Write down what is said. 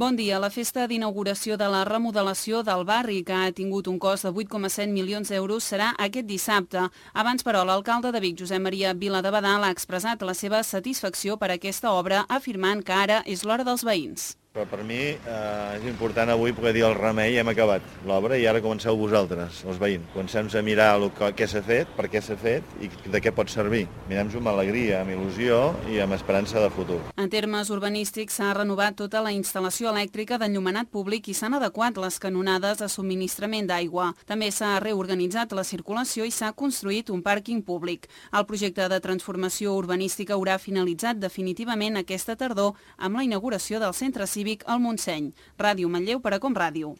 Bon dia. La festa d'inauguració de la remodelació del barri, que ha tingut un cost de 8,7 milions d'euros, serà aquest dissabte. Abans, però, l'alcalde de Vic, Josep Maria Viladebadal, ha expressat la seva satisfacció per aquesta obra, afirmant que ara és l'hora dels veïns. Però per mi és important avui poder dir el remei, hem acabat l'obra i ara comenceu vosaltres, els veïns. Comencem a mirar què s'ha fet, per què s'ha fet i de què pot servir. Mirem-ho amb alegria, amb il·lusió i amb esperança de futur. En termes urbanístics, s'ha renovat tota la instal·lació elèctrica d'enllumenat públic i s'han adequat les canonades de subministrament d'aigua. També s'ha reorganitzat la circulació i s'ha construït un pàrquing públic. El projecte de transformació urbanística haurà finalitzat definitivament aquesta tardor amb la inauguració del centre cívic al Montseny. Ràdio Manlleu per a Com Ràdio.